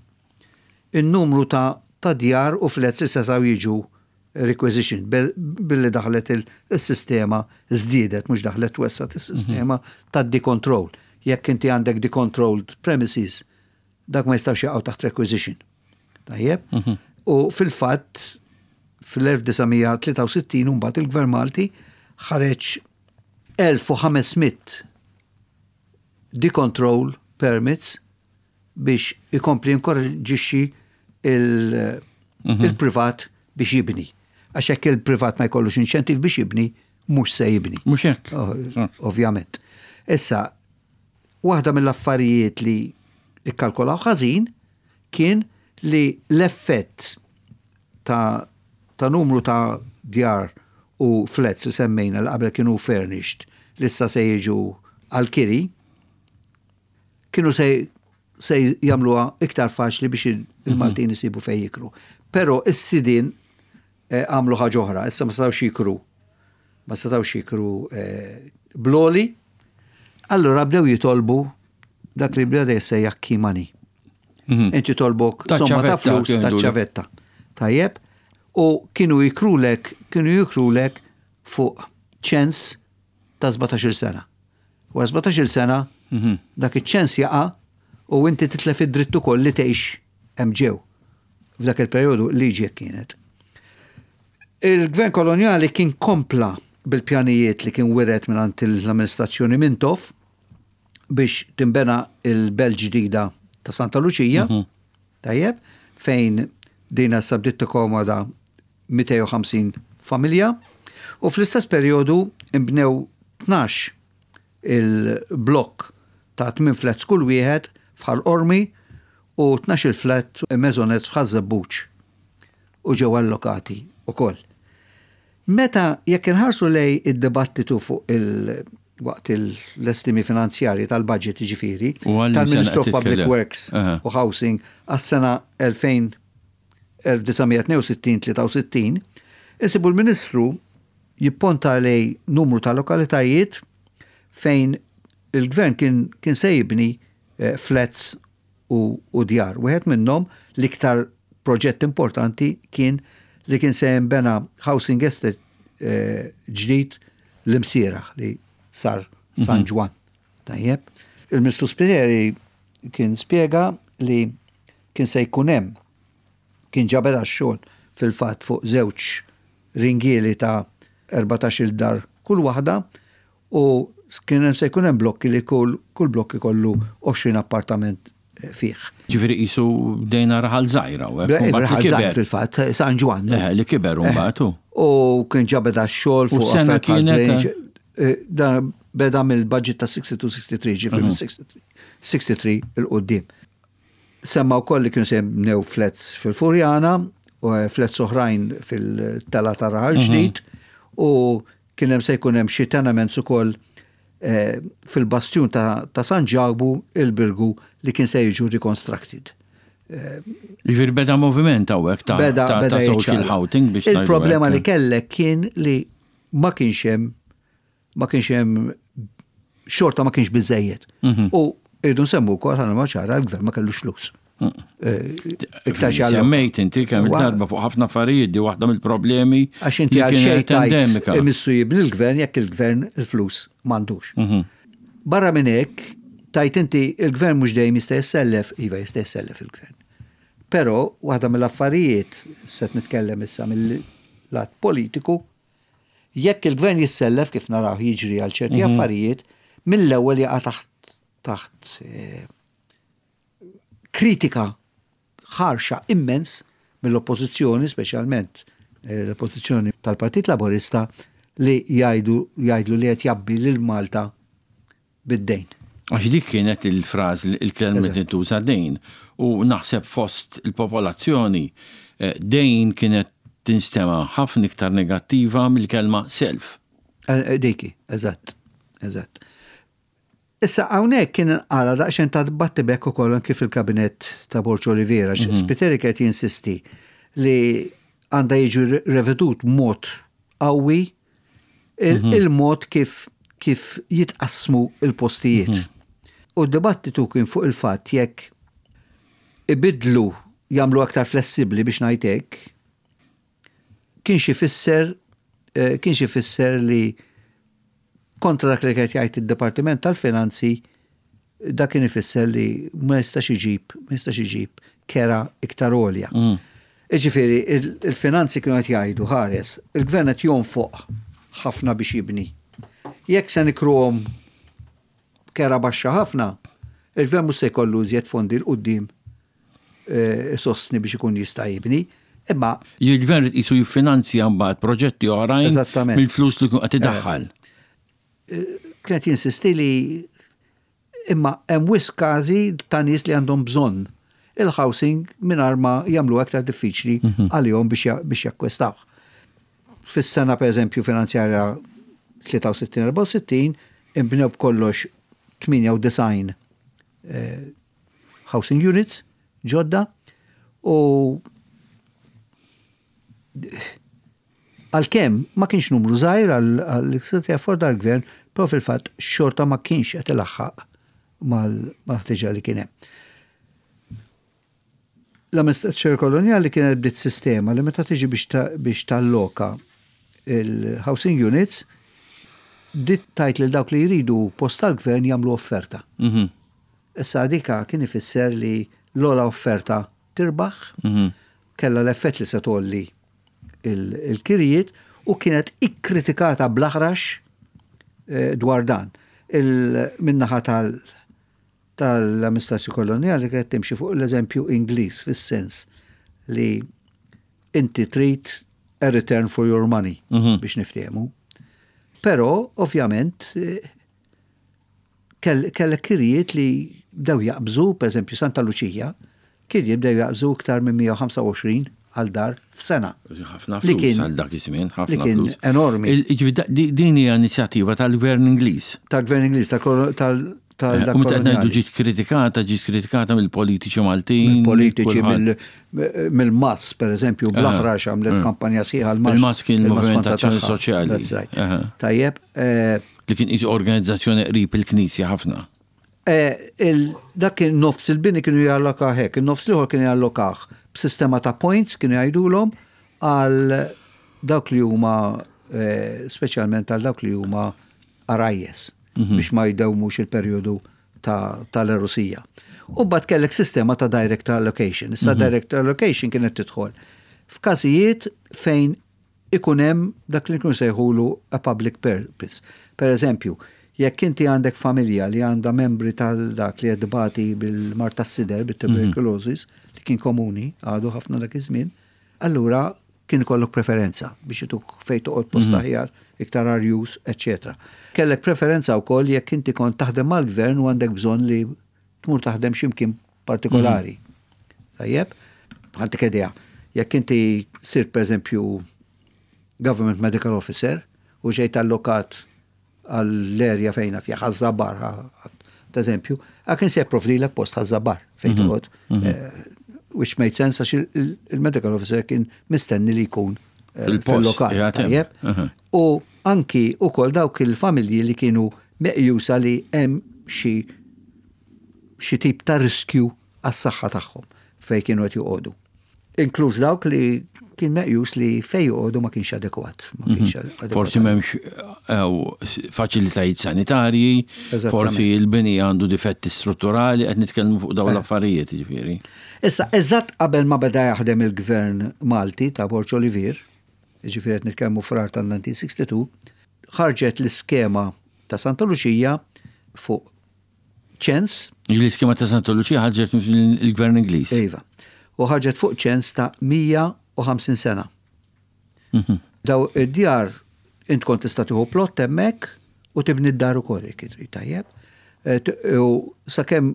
il-numru ta' ta' djar u flats li setgħu jiġu requisition billi daħlet il-sistema żdiedet, mhux daħlet wessgħet il-sistema ta' decontrol. Jekk inti għandek decontrolled premises, dak ma jistgħux jaqgħu taħt requisition. Tajjeb? U fil-fatt fil-elf disa' mija tlieta u sittin mbagħad il-Gvern Malti ħareġ elf u ħames mitt decontrol permits biex ikompli inkoraġġixxi il- il-privat biex jibni. Għax jekk il-privat ma jkollux inċentiv biex jibni, mhux se jibni. Mhux hekk. Oh, ovvjament. Issa, waħda mill-affarijiet li ikkalkolaw ħażin kien li l-effett ta', ta' numru ta' djar u flats li semmejna li qabel kienu furnished li issa se jiġu għal-kiri, kienu se, se jagħmluha iktar faċli biex il-Maltin isibu fej jikru. Però is-sidin eh, għamlu ħaġa oħra, issa ma setgħux jikru. Ma setgħux jikru eh, bl-għoli, allura bdew jitolbu dak li bdew jissejjaħ key money. Inti tolbok Ta' somma ta' ċavetta, flus kienu ta' jgħidulu. ċavetta. Tajjeb, u kienu jikrulek, kienu jikrulek fuq ċens ta' sbatax-il sena. Wara sbatax-il sena, dak iċ-ċens jaqa' u inti titlef id-dritt ukoll li tgħix hemm ġew. F'dak il-perjodu liġi hekk kienet. Il-gvern koloniali kien kompla bil-pjanijiet li kien wiret minn l-amministrazzjoni Mintoff biex timbena il-belt ġdida ta' Santa Luċija, tajjeb, fejn dina sabdiet tikkomoda mitejn u ħamsin familja, u fl-istess perjodu imbnew tnax il-blokk ta' tmien flats kull wieħed f'Ħal Qormi u tnax-il flat maisonette f'Ħaż-Żebbuġ u ġew allokati ukoll. Meta jekk inħarsu lejn id-dibattitu fuq il- waqt l-estimi finanzjarji tal-budget, ġifieri, U għal tal-Ministru sena of Public titkellem. Works Aha. u Housing għas-sena elf disa' mija tnejn u sittin tlieta u sittin, insibu l-Ministru jipponta lejn numru ta' lokalitajiet fejn il-gvern kien, kien se jibni eh, flats u, u djar. Wieħed minnhom, l-iktar proġett importanti, kien li kien se jinbena housing estate eh, ġdid l-Imsieraħ li sar San Ġwann. Tajjeb. Il-Ministru Spiteri kien spiega li kien se jkun hemm, kien ġa beda xogħol fil-fatt fuq żewġ ringieli ta' erbatax-il dar kull waħda u kien hemm se jkun hemm blokki li kull kull blokki kollu għoxrin appartament eh, fih. Ġifieri qisu bdejna raħal żgħira u hekk, u mbagħad li Raħal żgħir kiber. fil-fatt, San Ġwann. Eh, li kiber u mbagħad hu. U kien ġa beda xogħol U fuq sena affarijiet bħal kienet, drainage. Eh, Dan beda mill-budget ta' sittaħdui sittaħtri, ġifieri minn sittaħtri 'l quddiem. Semma wkoll li kienu se jibnew flats fil-Furjana u eh, flats oħrajn fil-tela ta' Raħal Ġdid u kien hemm se jkun hemm xi tenements ukoll eh, fil-bastjun ta', ta' San Ġakbu, il-Birgu, li kien se jiġu reconstructed. Ġifieri beda moviment hawnhekk ta' Beda, ta' beda ta' social jiċċaqlaq. housing biex ngħidu Il-problema hekk. li kellek kien li ma kienx hemm ma kienx hemm xorta, ma kienx biżejjed. Mhm. U irridu nsemmu wkoll, ħana ma ċara, l-gvern ma kellux flus. Mm. Eh, Iktar xi alloka. Semmejt inti kemm Wa- il-darba fuq ħafna affarijiet, di waħda mill-problemi Għax inti li għal xejn kienet tajt endemika. imissu jibni l-gvern jekk il-gvern il-flus m'għandux. Mhm. Barra minn hekk, tajt inti il-gvern mhux dejjem jista' jissellef, iva, jista' jissellef il-gvern. Però waħda mill-affarijiet, se nitkellem issa mill-lat politiku, jekk il-gvern jissellef, kif naraw jiġri għal ċerti affarijiet, mill-ewwel jaqa' taħt taħt eh, kritika ħarxa immens mill-oppożizzjoni, speċjalment eh, l-oppożizzjoni tal-Partit Laborista, li jgħidu jgħidlu li qed jgħabbi lil Malta bid-dejn. Għax dik kienet il-fraż, il-kelma Eżatt. tintuża, dejn. U naħseb fost il-popolazzjoni eh, dejn kienet tinstema ħafna iktar negattiva mill-kelma self. Eh, eh, Diki, eżatt, eżatt. Issa hawnhekk kien għala daqsxejn ta' battibekk ukoll anki fil-kabinet ta' Borg Olivier, mm Spiteri kien jinsisti li għandha jiġu revedut mod qawwi il- il-mod kif kif jitqassmu il-postijiet. U d-dibattitu kien fuq il-fatt jekk ibidlu, jagħmlu aktar flessibli biex ngħid hekk, kien xi fisser eh, kien xi fisser li kontra dak li qed jgħid id-Dipartiment tal-Finanzi, dak kien ifisser li ma jistax iġib, ma jistax iġib kera iktar għolja. Mm. Iġifieri, il-finanzi kienu qed jgħidu, ħares, il-gvern qed jonfoq ħafna biex jibni. Jekk se nikruhom kera baxxa ħafna, il-gvern mhux se jkollu iżjed fondi 'l quddiem eh, sostni biex ikun jista' jibni. Imma Il-gvern qisu jiffinanzja mbagħad proġetti oħrajn Eżattament. mill-flus li jkun qed idaħħal. Kienet jinsisti li imma hemm wisq każi ta' nies li għandhom bżonn il-housing mingħajr ma jagħmlu aktar diffiċli għalihom biex ja- biex jakkwistaw. Fis-sena, per eżempju, finanzjarja tlieta u sittin erbgħa u sittin imbnew b'kollox tmienja u disgħin eh, housing units ġodda u għalkemm ma kienx numru żgħir għal seta' jafforda l-gvern, però fil-fatt xorta ma kienx qed ilaħħaq mal-ħtiġa li kien hemm. L-amministrazzjoni koloniali kienet bdiet sistema li meta tiġi biex ta- biex talloka il-housing units, bdiet tgħid lil dawk li jridu post tal-gvern jagħmlu offerta. Mhm. Issa dika kien ifisser li l-ogħla offerta tirbaħ, kella l-effett li se tgħolli il- il-kirijiet u kienet ikkritikata bl-aħrax eh, dwar dan. Min-naħa tal- tal-amministrazzjoni koloniali kienet timxi fuq l-eżempju Ingliż, fis-sens li inti trid a return for your money biex niftehmu. Però, ovvjament, eh, kell- kellek kirijiet li bdew jaqbżu, per eżempju, Santa Luċija, Kien jibdew jaqbżu iktar minn mija u ħamsa u għoxrin għal dar f'sena. Ħafna Li flus kien- għal dak iż-żmien, li ħafna kien flus. enormi. Il- Jiġifieri da- di- Din hija inizjattiva tal-Gvern Ingliż. Tal-gvern Ingliż, tal- tal- tal Eh, dak U meta qed ngħidu koloniali. ġiet kritikata, ġiet kritikata mill-politiċi Maltin. Mill-politiċi, kulħadd. mill- mill-M A S, per eżempju, bl-aħrax għamlet kampanja sħiħa l-M A S. Il-M A S kien Il-M A S il-Moviment kontra Azzjoni tagħha. Soċjali. That's right. Aha. Tajjeb, eh, Li kien isu organizzazzjoni qrib il-Knisja ħafna. eh, il- dak kien nofs il-bini kienu jallokaw hekk, il-nofs l-ieħor kienu jallokah b'sistema ta' points, kienu jgħidulhom, għal dawk li huma eh, speċjalment għal dawk li huma għarajjes biex ma jdewmux il-perjodu ta' tal-għerusija. U mbagħad kellek sistema ta' direct allocation. Issa direct allocation kienet tidħol f'każijiet fejn ikun hemm dak li nkunu sejħulu a public purpose. Per eżempju, jekk inti għandek familja li għandha membri tal-dak li qed bil-mard tas-sider, bit-tuberculosis, li kien komuni, għadu ħafna dak iż-żmien, allura kien ikollok preferenza biex ituk fejn toqgħod post aħjar, iktar arjus, eċċetera. Kellek preferenza wkoll jekk inti kont taħdem mal-gvern u għandek bżonn li tmur taħdem x'imkien partikolari. Tajjeb, għandek idea. Jekk inti sirt, per eżempju, government medical officer u ġejt allokat għall-erja fejna fija Ħaż-Żabbar, ta' eżempju, għakin se jipprovdilek post Ħaż-Żabbar fejn toqgħod, eh, which made sense għax il- il-medical officer kien mistenni li jkun eh, Fil-post, fil-lokal. qiegħed hemm. Tajjeb. Aha. U anki ukoll dawk il-familji li kienu meqjusa li hemm xi xi tip ta' riskju għas-saħħa tagħhom fej kienu qed joqogħdu. Inkluż dawk li kien meqjus li fej joqogħdu ma kienx adekwat. Ma kienx adekwat. Forsi m'hemmx eh, faċilitajiet sanitarji, Eżattament. forsi il-bini għandu difetti strutturali, qed nitkellmu fuq dawn l-affarijiet, jiġifieri. Issa, eżatt qabel ma beda jaħdem il-gvern Malti ta' Borg Olivier, ġifieri qed nitkellmu Frar tal-elf disa' mija u sitta u sittin, ħarġet l-iskema ta' Santa Luċija fuq ċens. L-iskema ta' Santa Luċija ħarġet il-gvern Ingliż. Iva, u ħarġet fuq ċens ta' mija u ħamsin sena. Daw id-djar int kont tista' tieħu plot hemmhekk u tibni d-dar ukoll jekk trid, tajjeb. Eh, t- U sakemm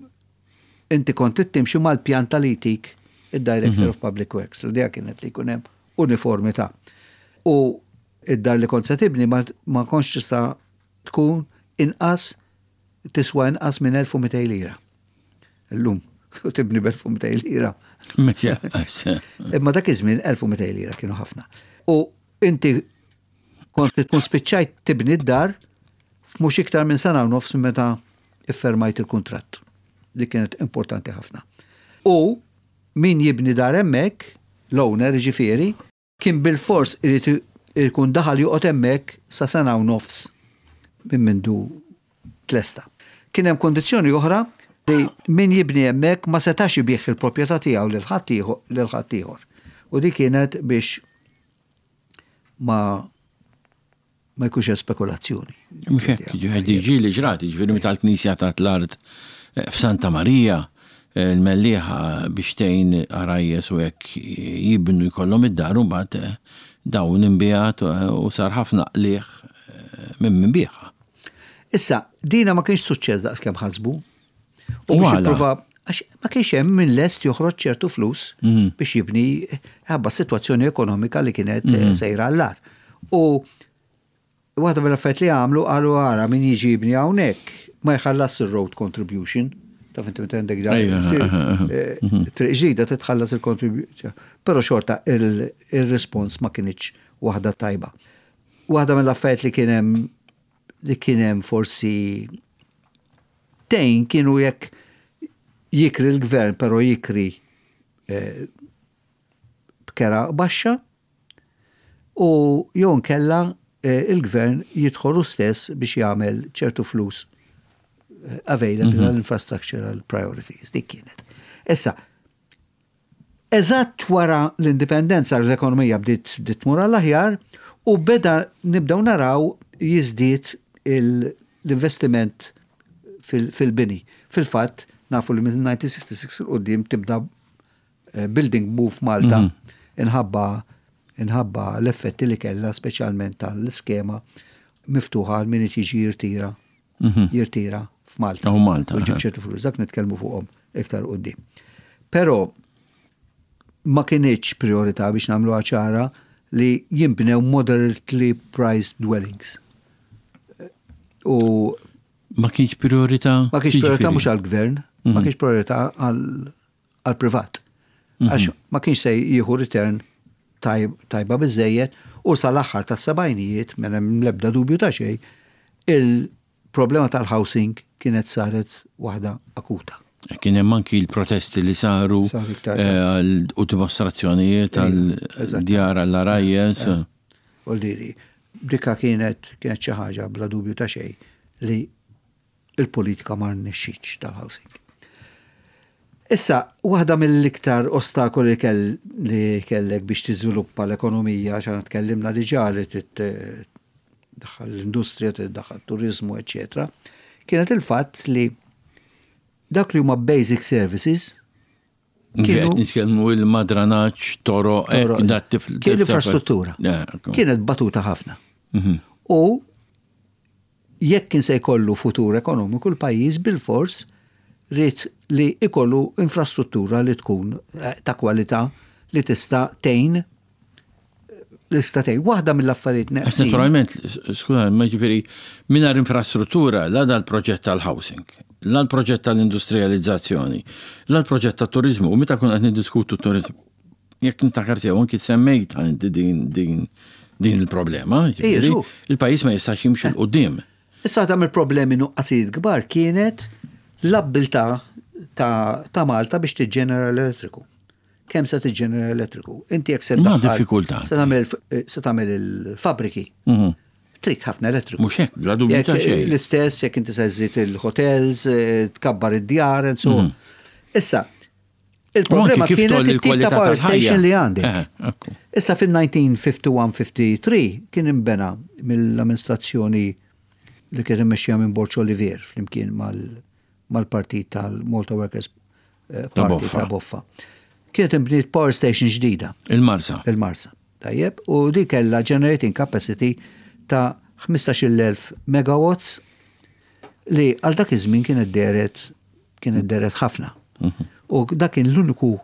inti kont timxi mal-pjan li jtik id-Director of Public Works. L-idea kienet li jkun hemm uniformità. U id-dar li kont se tibni ma, ma kontx tista' tkun inqas tiswa inqas minn elf u mitejn lira. Illum, u tibni b'elf u mitejn lira. Imma dak iż-żmien elf u mitejn lira kienu ħafna. U inti kont tkun spiċċajt tibni d-dar f'mhux iktar minn sena u nofs minn meta iffermajt il-kuntratt. Li kienet importanti ħafna. U min jibni dar hemmhekk, l-owner ġifieri, kien bil-fors irid ikun daħal joqgħod hemmhekk sa sena u nofs minn mindu tlesta. Kien hemm kondizzjoni oħra li min jibni hemmhekk ma setax ibigħ il-proprjetà tiegħu lil ħadd ieħor lil ħadd ieħor. U di kienet biex ma ma jkunx hemm spekulazzjoni. Mhux hekk, ġifieri ġieli ġrat, ġifieri meta l-Knisja tat l-art eh, f'Santa Marija, eh, il-Mellieħa, biex tgħin għarajjes u hekk jibnu jkollhom id-dar, u mbagħad eh, dawn inbiegħet u sar ħafna qligħ eh, minn min biegħha. Issa, dina ma kienx suċċess daqs kemm ħasbu. U U biex għala? jipprova, għax ma kienx hemm min lest joħroġ ċertu flus Mhm. biex jibni ħabba situazzjoni ekonomika li kienet eh, sejra għall-agħar. U waħda mill-affarijiet li għamlu, qalu, ara, min jiġi jibni hawnhekk ma jħallas il-road contribution. Taf inti meta għandek dar. Ejja, aha, aha. eh, Triq ġdida titħallas il-contribution. Però xorta il- il-respons ma kinitx waħda tajba. Waħda mill-affarijiet li kien hemm li kien hemm forsi tejn kienu jekk jikri l-gvern, però jikri eh, b'kera baxxa u jew nkella eh, il-gvern jidħolu stess biex jagħmel ċertu flus eh, available għall-infrastructural priorities. Dik kienet. Issa, eżatt wara l-indipendenza l-ekonomija bdiet bdiet tmur għall-aħjar u beda nibdew naraw jiżdied il- l-investiment fil- fil-bini. Fil-fatt, nafu li minn elf disa' mija u sitta u sittin 'il quddiem tibda eh, building boom f'Malta inħabba inħabba l-effetti li kella speċjalment tal-iskema miftuħa għal min jiġi jirtira jirtira f'Malta. Oh, Malta, U jġib aha. ċertu flus, dak nitkellmu fuqhom iktar quddiem. Però ma kinitx priorità, biex nagħmlu ċara, li jimbnew moderately priced dwellings. U Ma kienx priorità? Ma kienx priorità mhux għall-gvern, ma kienx priorità għall-privat. Għax ma kienx se jieħu return tajba biżejjed u sal-aħħar tas-sebgħinijiet, m'hemm l-ebda dubju ta' xejn, il-problema tal-housing kienet saret waħda akuta. Kien hemm anki l-protesti li saru eh, u dimostrazzjonijiet għal djar għall-għarajjes. U diri, dika kienet kienet xi ħaġa bla dubju ta' xejn li il-politika ma rnexxietx tal-housing. Issa, waħda mill-iktar ostakoli li kellek biex tiżviluppa l-ekonomija, għax tkellimna diġà li tiddaħħal l-industrija, tiddaħħal turizmu, eċetera, kienet il-fatt li dak li huma basic services. Kienu nitkellmu il-madranaċ, toroq, kien l-infrastruttura. Kienet batuta ħafna. Mhm. U jekk kien se jkollu futur ekonomiku l-pajjiż, bil-fors ried li ikollu infrastruttura li tkun eh, ta' kwalità li tista' tgħin li tista' tgħin. Waħda mill-affarijiet neqsin. Naturalment, skuża, ma ġifieri mingħajr infrastruttura la dal-proġett tal-housing, la l-proġett tal-industrializzazzjoni, la l-proġett tat-turizmu, u meta kun qed niddiskutu t-turizmu, jekk niftakar sew anki semmejt din din din il-problema, il-pajjiż ma jistax jimxi 'l quddiem. Issa, ta' mill-problemi, nuqqasijiet kbar, kienet l-abbiltà ta', ta Malta biex tiġġenera l-elettriku. Kemm se tiġġenera elettriku? Inti jekk se Ma diffikultà. Se tagħmel il-fabriki. Mhm. Trid ħafna elettriku. Mhux hekk, bla dubju ta' xejn. L-istess jekk inti se żżid il-hotels, eh, tkabbar id-djar, and so on. Issa, il-problema kienet il-tip ta' power station li għandek. Eh, Issa, fil-elf disa' mija u wieħed u ħamsin-ħamsa u tletin kien imbena mill-amministrazzjoni li kien immexxija minn Borg Olivier flimkien mal-partit tal-Malta Workers eh, Party ta' Boffa. Kienet imbniet power station ġdida. Il-Marsa. Il-Marsa. Tajjeb, u di kella generating capacity ta' ħmistax-il elf megawatts li għal dak iż-żmien kienet deret kienet deret ħafna. Mhm. U dak kien l-uniku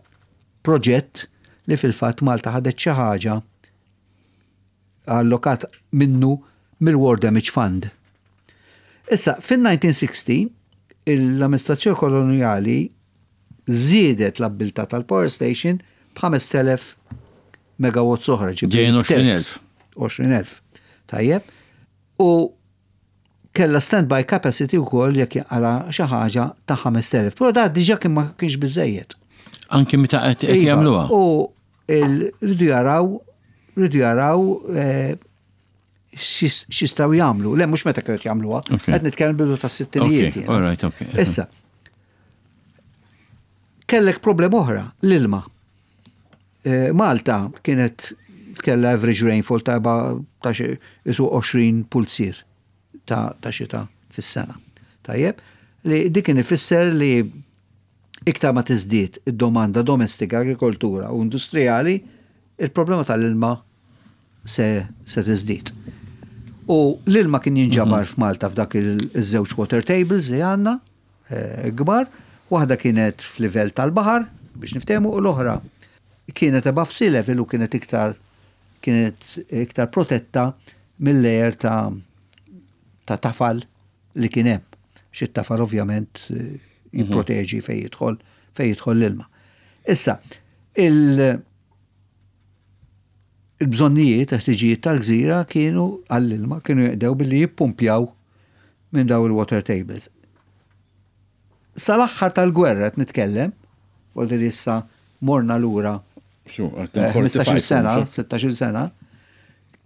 proġett li fil-fatt Malta ħadet xi ħaġa allokat minnu mill-War Damage Fund. Issa, fin-elf disa' mija u sittaw l-amministrazzjoni koloniali żiedet l-abbiltà tal-power station b'ħamest elef megawatts oħra. Ġejjin għoxrin elf. għoxrin elf. Tajjeb. U kella standby capacity wkoll jekk jaqala xi ħaġa ta' ħamest elef. Però da diġà kien ma kienx biżejjed. Anki meta qed Iva, jagħmluha. U rridu jaraw, rridu jaraw eh, x'jistgħu jagħmlu. Le, mhux meta kienu jagħmluha, qed nitkellem bidu tas-sittinijiet. All right, okay. Issa, kellek problem oħra, l-ilma. Eh, Malta kienet kella average rainfall ta' ta' xi isu għoxrin pulzier ta' ta' xita fis-sena. Tajjeb, li dik kien ifisser li iktar ma tiżdied id-domanda domestika, agrikoltura u industrijali, il-problema tal-ilma se, se tiżdied. U l-ilma kien jinġabar f'Malta f'dak il-żewġ water tables li għandna eh, kbar, waħda kienet f'livell tal-baħar biex niftehmu u l-oħra kienet above sea level u kienet iktar kienet iktar protetta mill-layer ta' ta' tafal li kien hemm. Xi tafal ovvjament eh, jipproteġi fejn jidħol fejn jidħol l-ilma. Issa, il- il-bżonnijiet, ħtiġijiet tal-gżira kienu għall-ilma kienu jaqdew billi jippumpjaw minn daw il-water tables. Sal-aħħar tal-gwerra qed nitkellem, vuol issa morna lura ħmistax-il sena, sittax-il sena,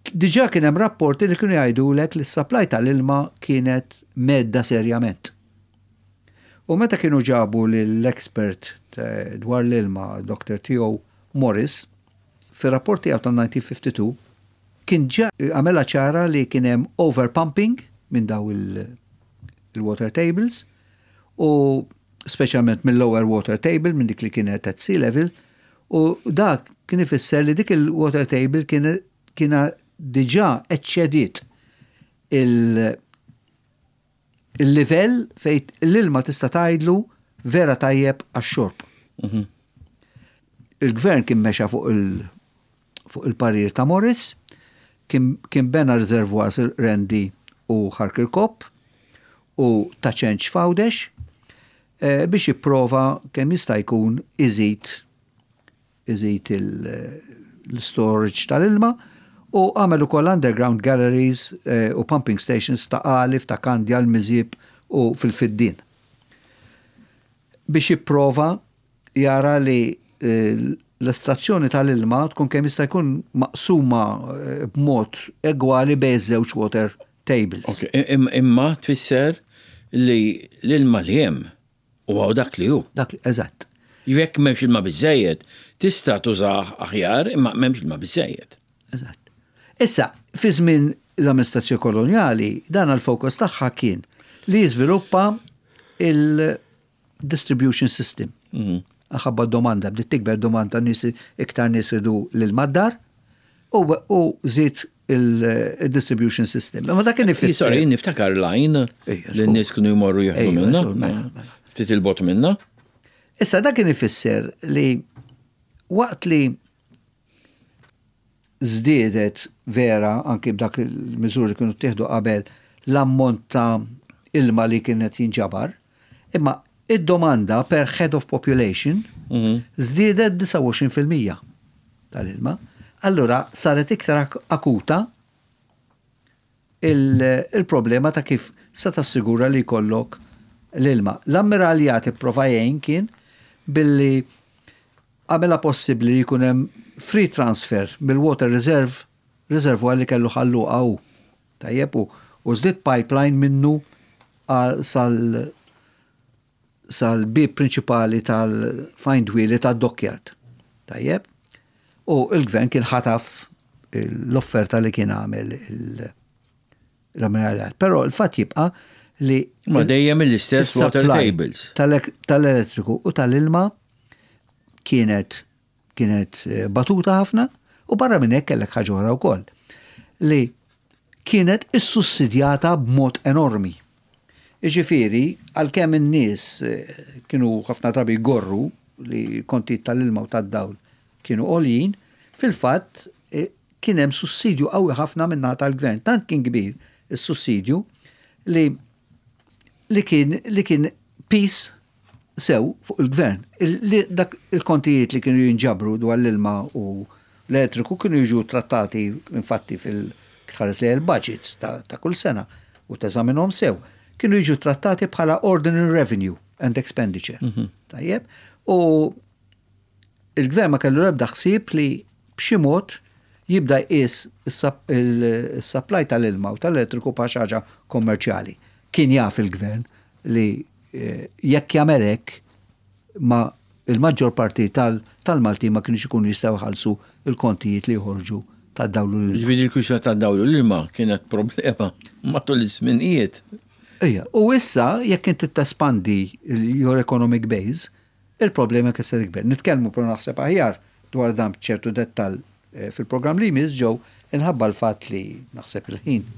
diġà kien hemm rapporti li kienu jgħidulek li s-supply tal-ilma kienet mhedda serjament. U meta kienu ġabu l-expert dwar l-ilma, Doktor T O. Morris, fir-rapport tiegħu tal-elf disa' mija u tnejn u ħamsin kien ġa għamela ċara li kien hemm overpumping minn daw il-water tables u speċjalment mill-lower water table, minn dik li kienet at sea level, u dak kien ifisser li dik il-water table kien kiena diġà eċċediet il-livell fejn l-ilma tista' tgħidlu vera tajjeb għax-xorb. Mhm. Il-gvern kien mexa fuq il- fuq il-parir ta' Morris, kien, kien bena reservoirs il-Qrendi u Ħal Kirkop u Ta' Ċenċ f'Għawdex eh, biex jipprova kemm jista' jkun iżid iżid l-storage tal-ilma u għamel ukoll underground galleries eh, u pumping stations Ta' Qali, Ta' Kandja, l-Miżieb u fil-Fiddien. Biex jipprova jara li eh, l-estrazzjoni tal-ilma tkun kemm jista' jkun maqsuma eh, b'mod egwali bejn żewġ water tables. Ok, im- Imma tfisser li l-ilma li hemm u dak li hu. Dak, eżatt. Jekk m'hemmx ilma biżejjed, tista' tużah aħjar, imma m'hemmx ilma biżejjed. Eżatt. Issa, fi żmien l-amministrazzjoni koloniali, dan il-fokus tagħha kien li jiżviluppa il-distribution system. Ħabba domanda, bdiet tikber domanda, nies iktar nies iridu l-ilma d-dar u, u żied il-distribution system. Ma dak kien ifisser. Sorry, niftakar line Ejja, li n-nies kienu jmorru jieħdu Ejja, minna. żgur, mela, mela. Ftit il-bogħod minna. Issa dak kien ifisser li waqt li żdiedet vera anki b'dak il-miżuri kienu ttieħdu qabel l-ammont ta' ilma li kienet jinġabar, imma id-domanda per head of population żdiedet disgħa u għoxrin fil-mija tal-ilma. Allura saret iktar ak- akuta il- il-problema ta' kif se tassigura li jkollok l-ilma. L-ammiraljat ipprova jgħin kien billi għamela possibbli li jkun hemm free transfer mill-water reserve reservoir li kellu Ħal Luqa u. Tajjeb, u u żdied pipeline minnu għal- sal sal-bib prinċipali tal-Find Wheelie tad-dockyard. Tajjeb? U il-gvern kien ħataf l-offerta li kien għamel il- l-ammiraljat. Però il-fatt jibqa' li Ma dejjem l-istess water il-supply tables. tal- tal-elettriku u tal-ilma kienet kienet eh, batuta ħafna u barra minn hekk kellek ħaġa oħra wkoll li kienet issussidjata b'mod enormi. Iġifieri, għalkemm in-nies eh, kienu ħafna drabi jgorru li konti tal-ilma u tad-dawl kienu għoljin, fil-fatt eh, kien hemm sussidju qawwi ħafna minna tal-gvern. Tant kien kbir is-sussidju li li kien li kien piż sew fuq il-gvern. Il- li dak il-kontijiet li kienu jinġabru dwar l-ilma u l-elettriku kienu jiġu trattati infatti fil-tħares li il-budgets ta', ta' kull sena u teżaminhom sew. Kienu jiġu trattati bħala ordinary revenue and expenditure. Tajjeb? U il-gvern ma kellu ebda ħsieb li b'xi mod jibda jqis il-supply tal-ilma u tal-elettriku bħal xi ħaġa kommerċjali. Kien jaf il-gvern li eh, jekk jagħmel hekk ma il-maġġor parti tal- tal-Malti ma kienx ikunu jistgħu jħallsu il-kontijiet li joħorġu tad-dawl u l Ġifieri l-kwistjoni tad-dawl u l-ilma kienet problema matul iż-żminijiet. Ija, u issa jekk inti tespandi your economic base, il-problema kien se tikber. Nitkellmu pro naħseb aħjar dwar dan b'ċertu dettal eh, fil-programm li jmiss ġew inħabba l-fatt li naħseb il-ħin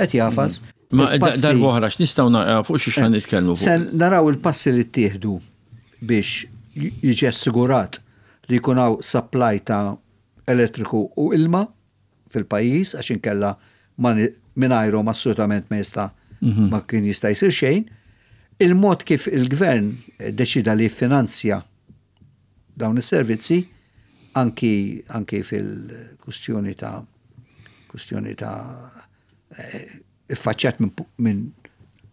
qed jagħfas. Ma Il-passi- darba oħra x'nistgħu na- fuq xi xan nitkellmu fuq. Se naraw il-passi li ttieħdu biex jiġi assigurat li jkun hawn supply ta' elettriku u ilma fil-pajjiż, għax inkella ma ni- mingħajrhom assolutament ma jista' ma kien jista' jsir xejn. Il-mod kif il-gvern deċida li jiffinanzja dawn is-servizzi anki, anki fil-kustjoni ta' kustjoni ta' eh, iffaċċjat minn min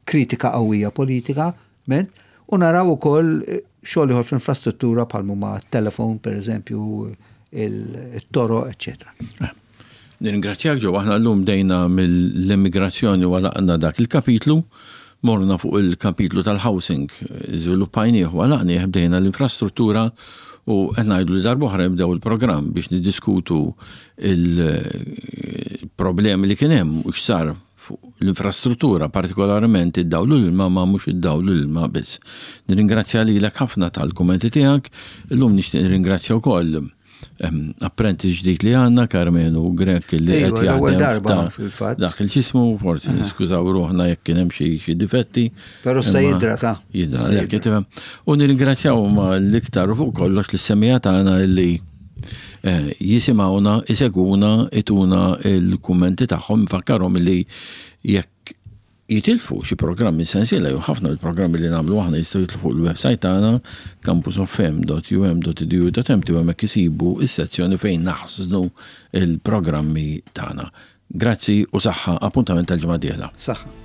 kritika qawwija politika, men, u naraw ukoll eh, xogħol ieħor fl-infrastruttura bħal huma telefon per eżempju, il-toroq, eccetera. Nirringrazzjak ġew, aħna llum bdejna mill-immigrazzjoni u għalaqna dak il-kapitlu, morna fuq il-kapitlu tal-housing, żviluppajnieh u għalaqnieh, bdejna l-infrastruttura u qed ngħidu li darba oħra nibdew il-programm biex niddiskutu il-problemi li kien hemm u x'sar fuq l-infrastruttura, partikolarment id-dawl u l-ilma, ma mhux id-dawl u l-ilma biss. Nirringrazzja lilek ħafna tal-kummenti tiegħek, illum nixtieq nirringrazzja wkoll Apprentice ġdid li għandna, Karmenu Grek, li Ejwa, qed l-ewwel jaħdem darba f'ta- fil-fatt. Dak il-ġismu, forsi niskużaw ruħna jekk kien hemm xi xi difetti. Però se Imma jidra ta' Jidra, Se jekk tifhem. U nirringrazzjaw ma l-iktar u fuq kollox lis-semmiegħa tagħna li eh, jisimgħuna, iseguna, ituna il-kummenti tagħhom, nfakkarhom li jekk jitilfu xi programmi sensiela jew ħafna mill-programmi li nagħmlu aħna, jistgħu jitlu fuq il-website tagħna campusofm dot U M dot edu dot M T u hemmhekk isibu is-sezzjoni fejn naħżnu il-programmi tagħna. Grazzi u saħħa, appuntament tal-ġimgħa dieħla. Saħħa.